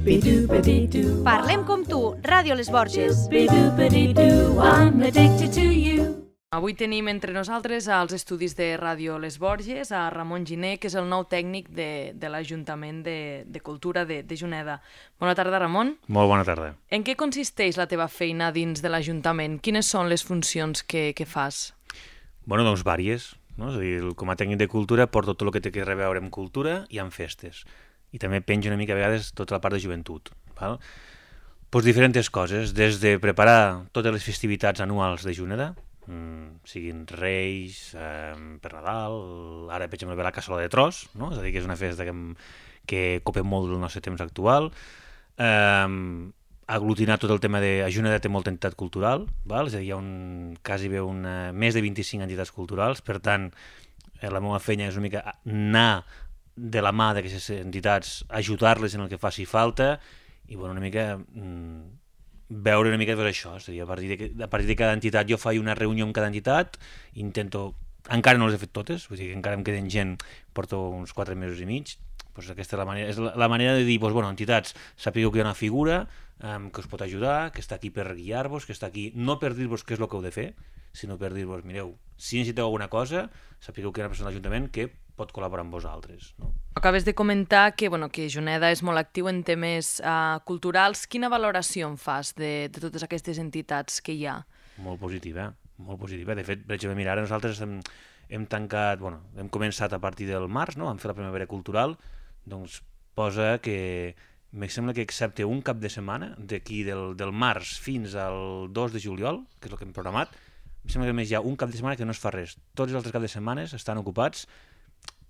Parlem com tu, Ràdio Les Borges. Avui tenim entre nosaltres als estudis de Ràdio Les Borges a Ramon Giner, que és el nou tècnic de l'Ajuntament de Cultura de Juneda. Bona tarda, Ramon. Molt bona tarda. En què consisteix la teva feina dins de l'Ajuntament? Quines són les funcions que fas? Bueno, doncs vàries. No? És a dir, com a tècnic de cultura porto tot el que té a veure amb cultura i amb festes. I també penjo una mica a vegades tota la part de joventut. Val? Pues diferents coses, des de preparar totes les festivitats anuals de Juneda, siguin Reis, per Nadal, ara per exemple ve la Cassola de Tros, no? És a dir, que és una festa que copa molt del nostre temps actual, aglutinar tot el tema de... A Juneda té molta entitat cultural, val? És a dir, hi ha quasi més de 25 entitats culturals, per tant, la meva feina és una mica anar de la mà d'aquestes entitats, ajudar-les en el que faci falta i bueno, una mica veure una mica tot això. És a dir, a partir de cada entitat jo faig una reunió amb cada entitat, intento... Encara no les he fet totes, vull dir que encara em queden gent, porto uns 4 mesos i mig, doncs aquesta és la manera de dir, doncs, bueno, entitats, sapigueu que hi ha una figura que us pot ajudar, que està aquí per guiar-vos, que està aquí no per dir-vos què és el que heu de fer, sinó per dir-vos, mireu, si necessiteu alguna cosa, sapigueu que hi ha una persona de l'Ajuntament que pot col·laborar amb vosaltres. No? Acabes de comentar que Juneda és molt actiu en temes culturals. Quina valoració en fas de totes aquestes entitats que hi ha? Molt positiva, molt positiva. De fet, per exemple, mira, ara nosaltres hem tancat, hem començat a partir del març, no? Vam fer la primavera cultural, doncs posa que em sembla que excepte un cap de setmana, d'aquí del març fins al 2 de juliol, que és el que hem programat, em sembla que només hi ha un cap de setmana que no es fa res. Tots els altres caps de setmanes estan ocupats,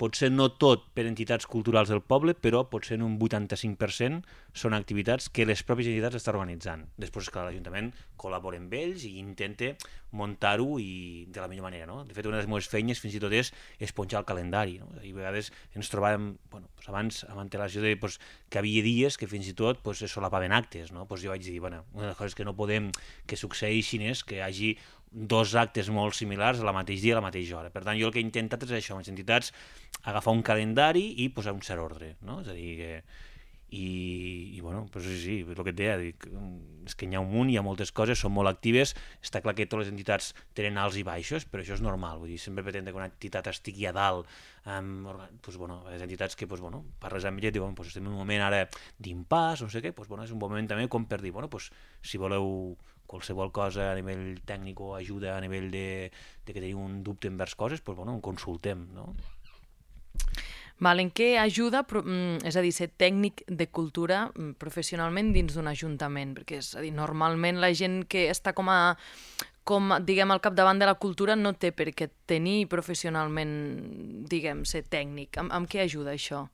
potser no tot per entitats culturals del poble, però potser en un 85% són activitats que les pròpies entitats estan organitzant. Després, és clar, l'Ajuntament col·labora amb ells i intenta muntar-ho de la millor manera. No? De fet, una de les meves feines fins i tot és esponjar el calendari. No? I a vegades ens trobàvem, abans, amb antelació de que hi havia dies que fins i tot es solapaven actes. No? Jo vaig dir, una de les coses que no podem que succeeixin és que hi hagi 2 actes molt similars al mateix dia a la mateixa hora. Per tant, jo el que he intentat és això, amb les entitats, agafar un calendari i posar un cert ordre. No? És a dir, sí, és el que et deia, és que n'hi ha un munt, hi ha moltes coses, són molt actives, està clar que totes les entitats tenen alts i baixos, però això és normal, vull dir, sempre pretendre que una entitat estigui a dalt, les entitats que, parles amb ella i diuen, estem en un moment ara d'impàs, no sé què, és un moment també com per dir, si voleu qualsevol cosa a nivell tècnic o ajuda a nivell de que teniu un dubte envers coses, en consultem, no? En què ajuda, és a dir, ser tècnic de cultura professionalment dins d'un ajuntament? Perquè, és a dir, normalment la gent que està com diguem, al capdavant de la cultura no té per què tenir professionalment, diguem, ser tècnic. Amb què ajuda això?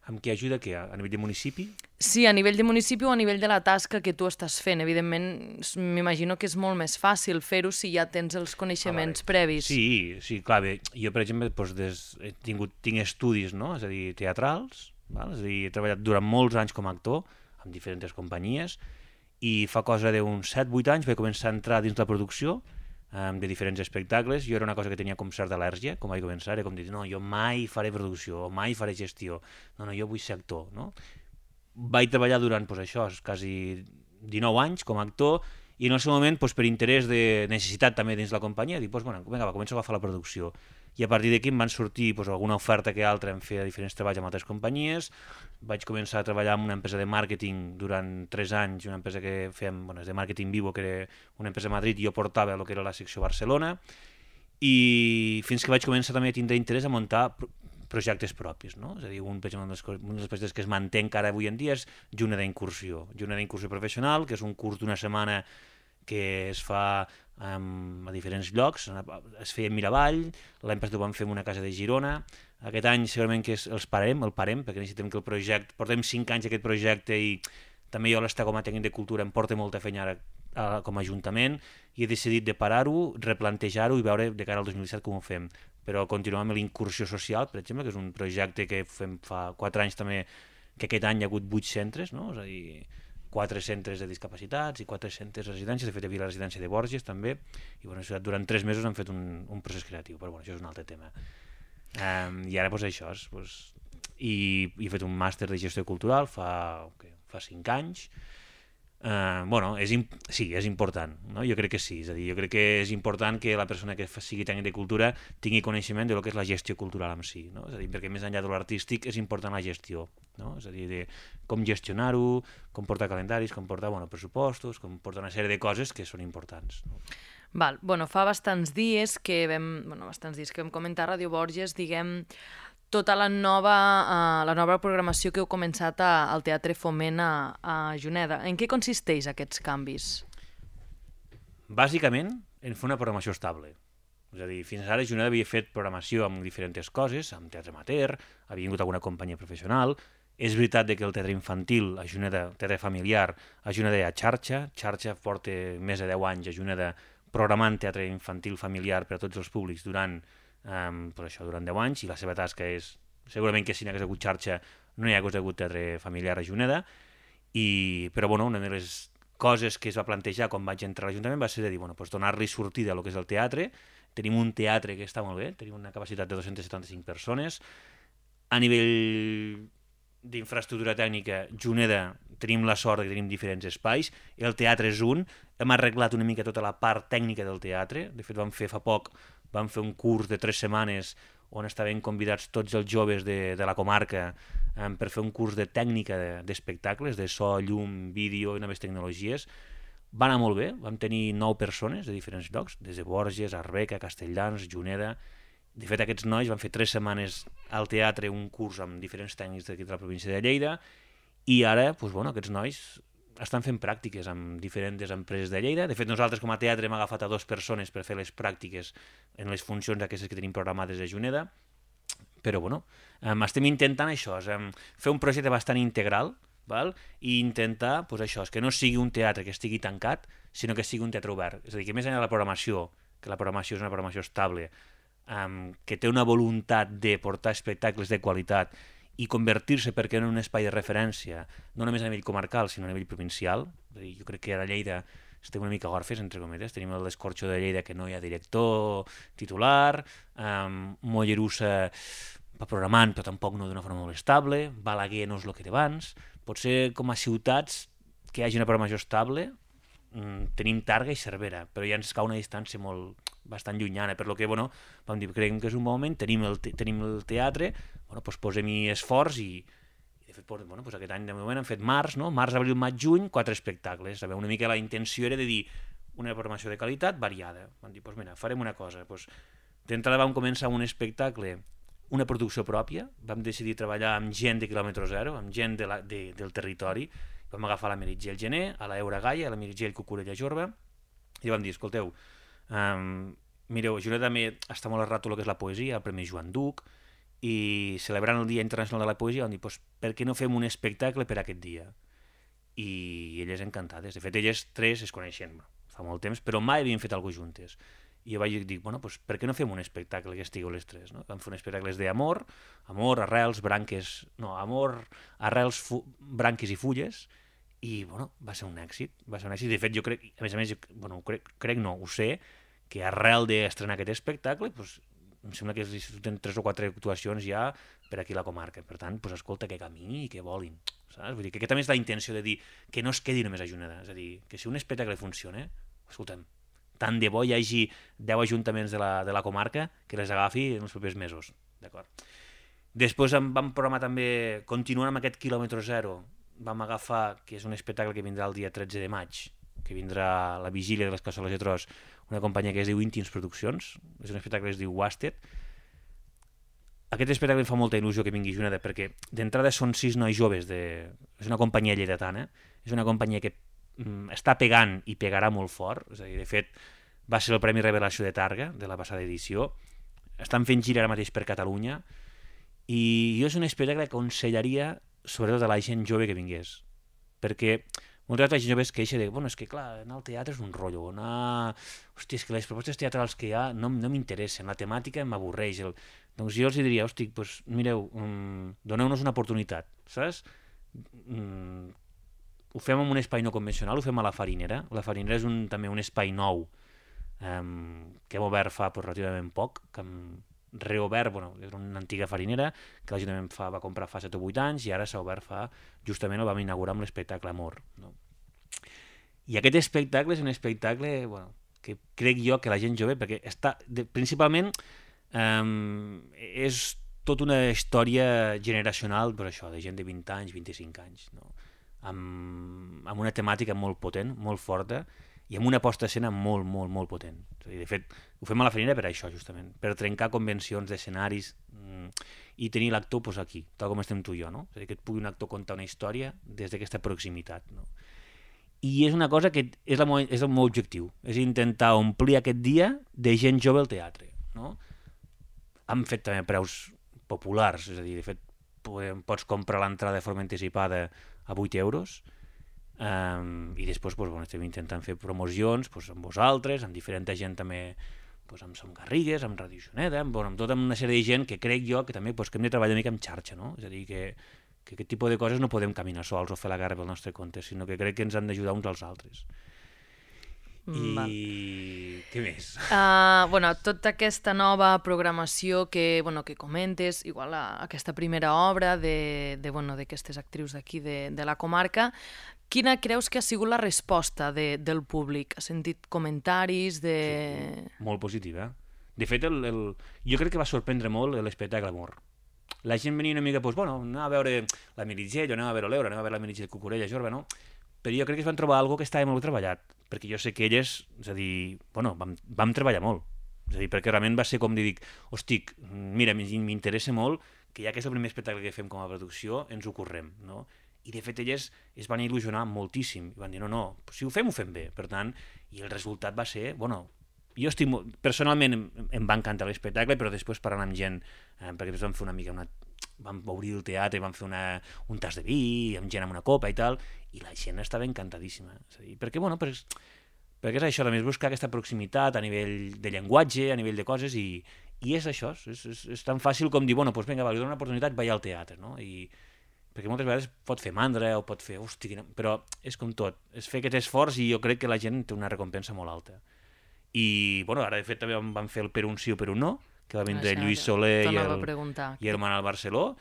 Amb què ajuda què? A nivell de municipi? Sí, a nivell de municipi o a nivell de la tasca que tu estàs fent. Evidentment, m'imagino que és molt més fàcil fer-ho si ja tens els coneixements previs. Sí, clar, bé, jo per exemple tinc estudis, no? És a dir, teatrals, val? És a dir, he treballat durant molts anys com a actor amb diferents companyies i fa cosa d'uns 7-8 anys vaig començar a entrar dins la producció de diferents espectacles. Jo era una cosa que tenia com certa al·lèrgia, com vaig començar, era com dir, no, jo mai faré producció, o mai faré gestió, no, jo vull ser actor, no? Vaig treballar durant, quasi 19 anys com a actor, i en el seu moment, per interès de necessitat també dins la companyia, dic, vinga, començo a agafar la producció. I a partir d'aquí em van sortir alguna oferta que altra, em feia diferents treballs amb altres companyies, vaig començar a treballar en una empresa de màrqueting durant 3 anys, una empresa que fèiem, és de màrqueting Vivo, que era una empresa a Madrid, i jo portava el que era la secció Barcelona, i fins que vaig començar també a tindre interès a muntar projectes propis, no? És a dir, un dels projectes que es manté encara avui en dia és Juneda Incursió. Juneda Incursió Professional, que és un curs d'una setmana que es fa a diferents llocs, es feia a Miravall, l'any passat ho vam fer en una casa de Girona, aquest any segurament que el parem, perquè necessitem que el projecte, portem 5 anys aquest projecte i també jo l'estar com a tècnic de cultura em porta molta feina ara com a Ajuntament i he decidit de parar-ho, replantejar-ho i veure de cara al 2017 com ho fem. Però continuem amb l'incursió social, per exemple, que és un projecte que fem fa 4 anys també, que aquest any hi ha hagut 8 centres, no? És a dir, 4 centres de discapacitats i 4 centres de residències, de fet hi havia la residència de Borges també, i durant 3 mesos han fet un procés creatiu, però això és un altre tema. I ara això, i he fet un màster de gestió cultural fa fa 5 anys. Sí, és important, no? Jo crec que sí, és a dir, jo crec que és important que la persona que sigui tècnic de cultura tingui coneixement de lo que és la gestió cultural en si, no? És a dir, perquè més enllà de l'artístic és important la gestió, no? És a dir, de com gestionar-ho, com portar calendaris, com portar pressupostos, com portar una sèrie de coses que són importants, no? Val, fa bastants dies que vam comentar a Ràdio Borges, diguem, tota la nova programació que heu començat al Teatre Foment a Juneda. En què consisteix aquests canvis? Bàsicament, en fer una programació estable. És a dir, fins ara Juneda havia fet programació amb diferents coses, amb teatre amateur, havia vingut alguna companyia professional. És veritat que el teatre infantil, a Juneda, teatre familiar, a Juneda hi ha xarxa porta més de 10 anys a Juneda programant teatre infantil familiar per a tots els públics durant 10 anys, i la seva tasca és, segurament que si n'hi hagués hagut xarxa no hi hagués hagut teatre familiar a Juneda, però una de les coses que es va plantejar quan vaig entrar a l'Ajuntament va ser de dir, donar-li sortida a lo que és el teatre. Tenim un teatre que està molt bé, tenim una capacitat de 275 persones, a nivell d'infraestructura tècnica, Juneda, tenim la sort que tenim diferents espais, el teatre és un, hem arreglat una mica tota la part tècnica del teatre, de fet fa poc vam fer un curs de 3 setmanes on estaven convidats tots els joves de la comarca per fer un curs de tècnica d'espectacles, de so, llum, vídeo i noves tecnologies. Va anar molt bé, vam tenir 9 persones de diferents llocs, des de Borges, Arbeca, Castelldans, Juneda. De fet, aquests nois van fer 3 setmanes al teatre un curs amb diferents tècnics d'aquí de la província de Lleida, i ara aquests nois estan fent pràctiques amb diferents empreses de Lleida. De fet, nosaltres com a teatre hem agafat a 2 persones per fer les pràctiques en les funcions aquestes que tenim programades a Juneda, però estem intentant això, fer un projecte bastant integral, i intentar que no sigui un teatre que estigui tancat, sinó que sigui un teatre obert. És a dir, que més enllà de la programació, que la programació és una programació estable, que té una voluntat de portar espectacles de qualitat i convertir-se, perquè en un espai de referència, no només a nivell comarcal, sinó a nivell provincial. És a dir, jo crec que a Lleida estem una mica orfes, entre cometes. Tenim l'Escorxo de Lleida, que no hi ha director titular, Mollerussa va programant, però tampoc no d'una forma molt estable, Balaguer no és el que té abans. Potser com a ciutats que hi hagi una programació estable, tenim Targa i Cervera, però ja ens cau una distància bastant llunyana, per lo que vam dir, creiem que és un bon moment, tenim el teatre, posem-hi esforç, i de fet aquest any de moment hem fet març, abril, maig, juny, 4 espectacles. Una mica la intenció era de dir una programació de qualitat variada. Vam dir, farem una cosa. D'entrada vam començar un espectacle, una producció pròpia, vam decidir treballar amb gent de quilòmetre zero, amb gent del territori. Vam agafar la Meritxell Gené, a la Eura Gaia, a la Meritxell Cucurella Jorba, i vam dir, escolteu, mireu, Juneda també està molt a rato el que és la poesia, el Premi Joan Duc, i celebrant el Dia Internacional de la Poesia vam dir, per què no fem un espectacle per aquest dia? I elles encantades. De fet, elles 3 es coneixen fa molt temps, però mai havien fet alguna cosa juntes. I jo vaig dir, per què no fem un espectacle que estigueu les 3? No? Vam fer un espectacle d'amor, arrels, branques i fulles, i va ser un èxit. De fet, jo crec, a més, ho sé, que arrel d'estrenar aquest espectacle, em sembla que tenen 3 o 4 actuacions ja per aquí a la comarca. Per tant, escolta, que camini i que volin. Saps? Vull dir que aquesta també és la intenció de dir que no es quedi només a Juneda. És a dir, que si un espectacle funciona, escolta'm, tant de bo hi hagi 10 ajuntaments de la comarca que les agafi en els propers mesos. D'acord? Després vam programar també, continuant amb aquest quilòmetre zero, vam agafar, que és un espectacle que vindrà el dia 13 de maig, que vindrà a la vigília de les Cassoles de Tros, una companyia que es diu Íntims Produccions, és un espectacle que es diu Wasted. Aquest espectacle em fa molta il·lusió que vingui a Juneda, perquè d'entrada són 6 nois joves, és una companyia lleidatana, és una companyia que està pegant i pegarà molt fort, és a dir, de fet, va ser el Premi Revelació de Targa, de la passada edició, estan fent gira ara mateix per Catalunya, i jo és un espectacle que aconsellaria sobretot a la gent jove que vingués, perquè moltes vegades la gent jove es queixa de, és que clar, anar al teatre és un rotllo, hòstia, és que les propostes teatrals que hi ha no m'interessen, la temàtica m'avorreix. Doncs jo els diria, mireu, doneu-nos una oportunitat, saps? Ho fem en un espai no convencional, ho fem a la Farinera. La Farinera és també un espai nou que hem obert fa relativament poc, que reobert, bueno, era una antiga farinera que l'Ajuntament va comprar fa 7 o 8 anys i ara s'ha obert justament el vam inaugurar amb l'espectacle Amor. No? I aquest espectacle és un espectacle que crec jo que la gent jove, perquè principalment és tota una història generacional, per això, de gent de 20 anys, 25 anys, no? Amb una temàtica molt potent, molt forta, i amb una posta d'escena molt, molt, molt potent. De fet, ho fem a la farinera per això, justament, per trencar convencions d'escenaris i tenir l'actor aquí, tal com estem tu i jo, no? És a dir, que et pugui un actor contar una història des d'aquesta proximitat, no? I és una cosa que és el meu objectiu, és intentar omplir aquest dia de gent jove al teatre, no? Hem fet també preus populars, és a dir, de fet, pots comprar l'entrada de forma anticipada a 8 euros, i després estem intentant fer promocions amb vosaltres, amb diferent gent també, amb Som Garrigues, amb Radio Juneda, amb tota una sèrie de gent que crec jo que també que hem de treballar una mica en xarxa, no? És a dir, que aquest tipus de coses no podem caminar sols o fer la guerra pel nostre compte, sinó que crec que ens han d'ajudar uns als altres. I què més? Tota aquesta nova programació que comentes, igual aquesta primera obra d'aquestes actrius d'aquí de la comarca, quina creus que ha sigut la resposta del públic? Has sentit comentaris de... Sí, molt positiva. De fet, jo crec que va sorprendre molt l'espectacle Amor. La gent venia una mica, anava a veure la Meritxell, anava a veure l'Eura, anava a veure la Meritxell Cucurella, Jorba, no? Però jo crec que es van trobar alguna que estava molt treballat, perquè jo sé que elles, és a dir, vam treballar molt. És a dir, perquè realment va ser com dir, hosti, mira, m'interessa molt que ja que és el primer espectacle que fem com a producció, ens ho correm, no? I de fet elles es van il·lusionar moltíssim, i van dir, no, si ho fem bé. Per tant, i el resultat va ser, jo estic personalment em va encantar l'espectacle, però després parlant amb gent, perquè després vam fer una mica vam obrir el teatre, vam fer un tas de vi, amb gent amb una copa i tal, i la gent estava encantadíssima. És a dir, perquè és això, també és buscar aquesta proximitat a nivell de llenguatge, a nivell de coses, i és això, és tan fàcil com dir, vinga, li dono una oportunitat, vaig al teatre, no? Perquè moltes vegades pot fer mandra o pot fer, però és com tot, és fer aquest esforç i jo crec que la gent té una recompensa molt alta. I ara de fet també vam fer el Per un sí o per un no, que va vindre Lluís Soler i el Manel Barceló.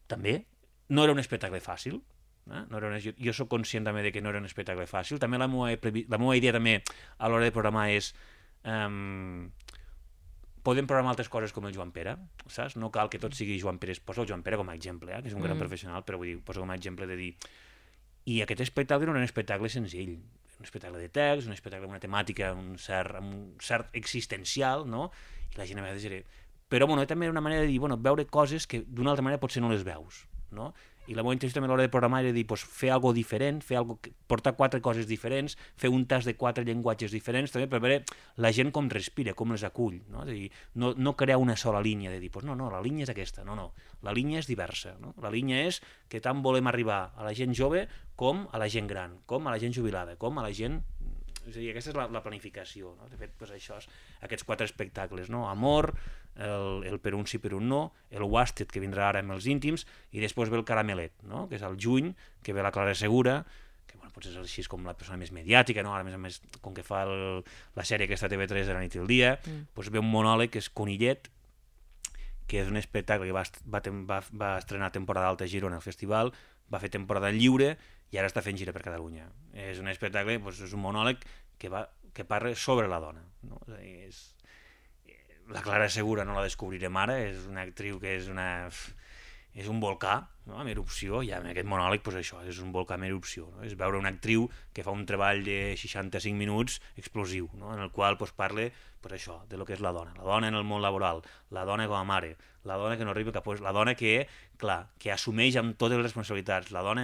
També no era un espectacle fàcil, jo soc conscient també de que no era un espectacle fàcil. També la meva idea també a l'hora de programar és podem programar altres coses com el Joan Pere, saps? No cal que tot sigui Joan Pere, posa el Joan Pere com a exemple, que és un gran professional, però vull dir, posa com a exemple de dir... I aquest espectacle no era un espectacle senzill, un espectacle de text, un espectacle amb una temàtica, un cert existencial, no? I la gent a vegades era... Però també era una manera de dir, veure coses que d'una altra manera potser no les veus, no? I la meva intenció també a l'hora de programar era dir, fer alguna cosa diferent, portar 4 coses diferents, fer un tas de 4 llenguatges diferents, també per veure la gent com respira, com les acull, no? És a dir, no crear una sola línia de dir, no, la línia és aquesta, no, la línia és diversa, no? La línia és que tant volem arribar a la gent jove com a la gent gran, com a la gent jubilada, com a la gent... És a dir, aquesta és la planificació, no? De fet, això és aquests 4 espectacles, no? Amor, el Per un sí per un no, el Wasted, que vindrà ara amb els íntims, i després ve el Caramelet, no? Que és al juny, que ve la Clara Segura, que potser és així com la persona més mediàtica, no? Ara, a més, com que fa la sèrie aquesta TV3 de la nit i el dia, ve un monòleg que és Conillet, que és un espectacle que va estrenar temporada alta a Girona al festival, va fer temporada lliure i ara està fent gira per Catalunya. És un espectacle, és un monòleg que parla sobre la dona, no? La Clara Segura no la descobrirem ara, és una actriu que és un volcà, no? En erupció, i amb aquest monòleg això, és un volcà en erupció, no? És veure una actriu que fa un treball de 65 minuts explosiu, no? En el qual parla això, de lo que és la dona en el món laboral, la dona com a mare, la dona que no arriba cap a... La dona que, clar, que assumeix amb totes les responsabilitats, la dona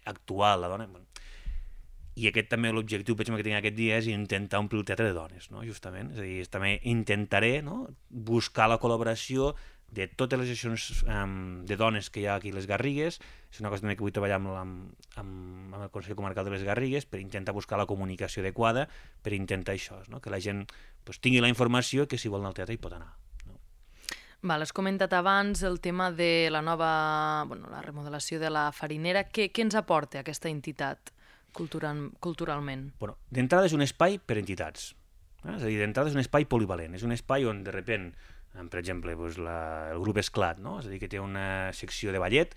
actual, la dona... I aquest també l'objectiu que tinc aquest dia és intentar omplir el teatre de dones, no? Justament, és a dir, també intentaré, no? Buscar la col·laboració de totes les associacions de dones que hi ha aquí a les Garrigues. És una cosa també que vull treballar amb el Consell Comarcal de les Garrigues per intentar buscar la comunicació adequada, per intentar això, no? Que la gent tingui la informació que si vol anar al teatre hi pot anar. Has comentat abans el tema de la nova, la remodelació de la farinera. Què ens aporta aquesta entitat culturalment? D'entrada és un espai per entitats. És a dir, d'entrada és un espai polivalent. És un espai on, de repent, Per exemple, el grup Esclat, no? És a dir, que té una secció de ballet,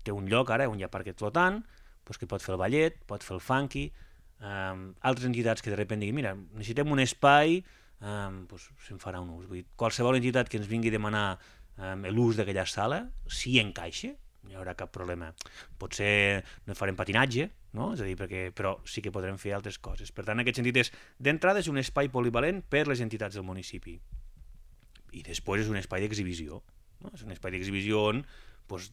té un lloc ara, un hi ha parquet flotant, que pot fer el ballet, pot fer el funky, altres entitats que de sobte diguin, mira, necessitem un espai, se'n farà un ús. Vull dir, qualsevol entitat que ens vingui a demanar l'ús d'aquella sala, si encaixa, no hi haurà cap problema. Potser no farem patinatge, no? És a dir, però sí que podrem fer altres coses. Per tant, en aquest sentit, d'entrada és un espai polivalent per les entitats del municipi. I després és un espai d'exhibició. No? És un espai d'exhibició on,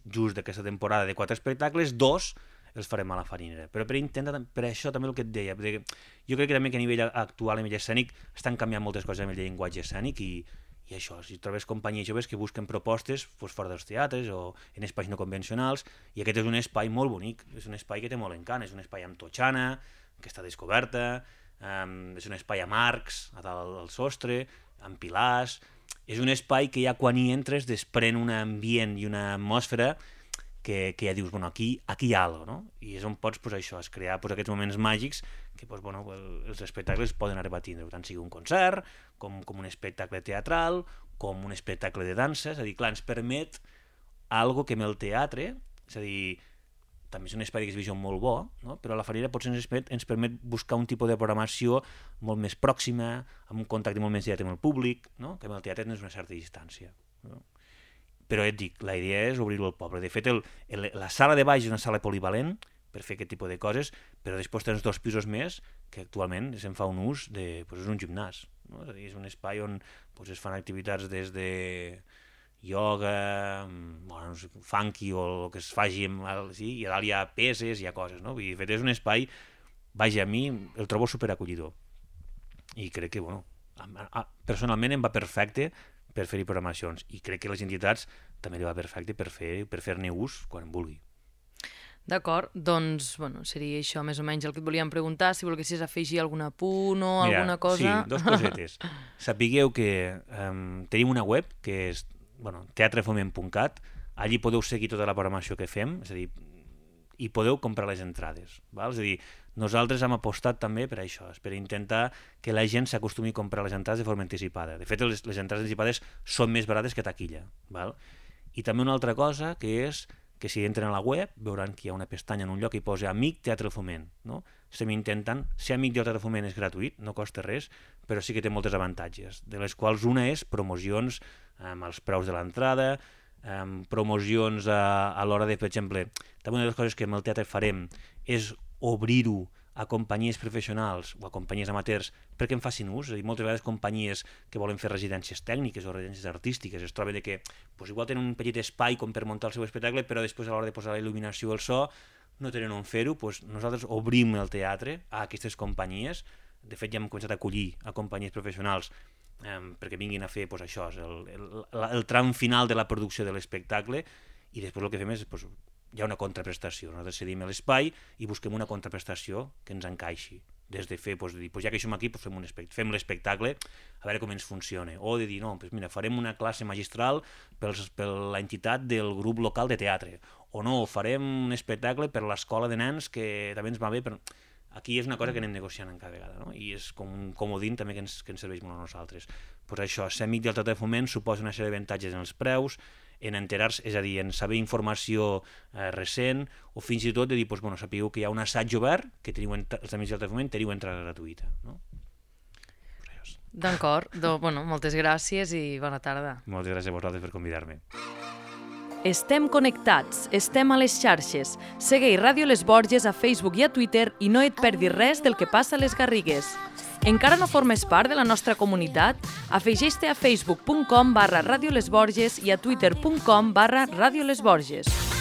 just d'aquesta temporada de 4 espectacles, 2 els farem a la Farinera. Però per això també el que et deia, jo crec que també que a nivell actual, a nivell escènic, estan canviant moltes coses amb el llenguatge escènic i això, si trobes companyies joves que busquen propostes fora dels teatres o en espais no convencionals, i aquest és un espai molt bonic, és un espai que té molt encant, és un espai amb totxana, que està descoberta, és un espai amb arcs a dalt del sostre, amb pilars, és un espai que ja quan hi entres desprèn un ambient i una atmosfera que ja dius, aquí hi ha alguna cosa, no? I és on pots crear aquests moments màgics que els espectacles poden arribar a tindre, tant sigui un concert, com un espectacle teatral, com un espectacle de dansa, és a dir, clar, ens permet algo que amb el teatre, és a dir, també és un espai d'exhibició molt bo, no? Però a la Farinera potser ens permet buscar un tipus de programació molt més pròxima, amb un contacte molt més directe amb el públic, no? Que amb el teatre tens una certa distància, no? Però et dic, la idea és obrir-ho al poble. De fet, la sala de baix és una sala polivalent per fer aquest tipus de coses, però després tens 2 pisos més que actualment se'n fa un ús és un gimnàs, no? És a dir, és un espai on es fan activitats des de ioga, funky o el que es faci, i a dalt hi ha peses, hi ha coses, no? De fet, és un espai, vaja, a mi el trobo superacollidor. I crec que, personalment em va perfecte per fer-hi programacions, i crec que les entitats també li va perfecte per fer-ne ús quan vulgui. D'acord, doncs, seria això més o menys el que et volíem preguntar, si volguessis afegir algun apunt o alguna cosa. Sí, 2 cosetes. Sapigueu que tenim una web que és teatrefoment.cat, allí podeu seguir tota la programació que fem, és a dir, i podeu comprar les entrades, val? És a dir, nosaltres hem apostat també per això, per intentar que la gent s'acostumi a comprar les entrades de forma anticipada. De fet, les entrades anticipades són més barates que taquilla, val? I també una altra cosa, que és que si entren a la web veuran que hi ha una pestanya en un lloc que hi posa Amic Teatre Foment, no? Estem intentant, ser amic del Teatre Foment és gratuït, no costa res, però sí que té moltes avantatges, de les quals una és promocions amb els preus de l'entrada, promocions a l'hora de, per exemple, també una de les coses que amb el teatre farem és obrir-ho a companyies professionals o a companyies amateurs perquè en facin ús. És a dir, moltes vegades companyies que volen fer residències tècniques o residències artístiques es troben que igual tenen un petit espai com per muntar el seu espectacle, però després a l'hora de posar la il·luminació o el so no tenen on fer-ho. Nosaltres obrim el teatre a aquestes companyies. De fet, ja hem començat a acollir a companyies professionals perquè vinguin a fer això, el tram final de la producció de l'espectacle, i després el que fem és hi ha una contraprestació. Nosaltres cedim l'espai i busquem una contraprestació que ens encaixi. Des de fer, ja que som aquí, fem l'espectacle, a veure com ens funciona. O de dir, no, mira, farem una classe magistral per l'entitat del grup local de teatre. O no, farem un espectacle per l'escola de nens que també ens va bé. Aquí és una cosa que anem negociant en cada vegada, no? I és com un comodín també que ens serveix molt a nosaltres. Això, ser amic del Teatre de Foment suposa una sèrie d'avantatges en els preus, en enterar-se, és a dir, en saber informació recent, o fins i tot de dir, sapigueu que hi ha un assaig obert, que teniu els amics del Teatre de Foment, teniu entrada gratuïta, no? D'acord, moltes gràcies i bona tarda. Moltes gràcies a vosaltres per convidar-me. Estem connectats, estem a les xarxes. Segueix Ràdio Les Borges a Facebook i a Twitter i no et perdis res del que passa a les Garrigues. Encara no formes part de la nostra comunitat? Afegeix-te a facebook.com/radiolesborges i a twitter.com/radiolesborges.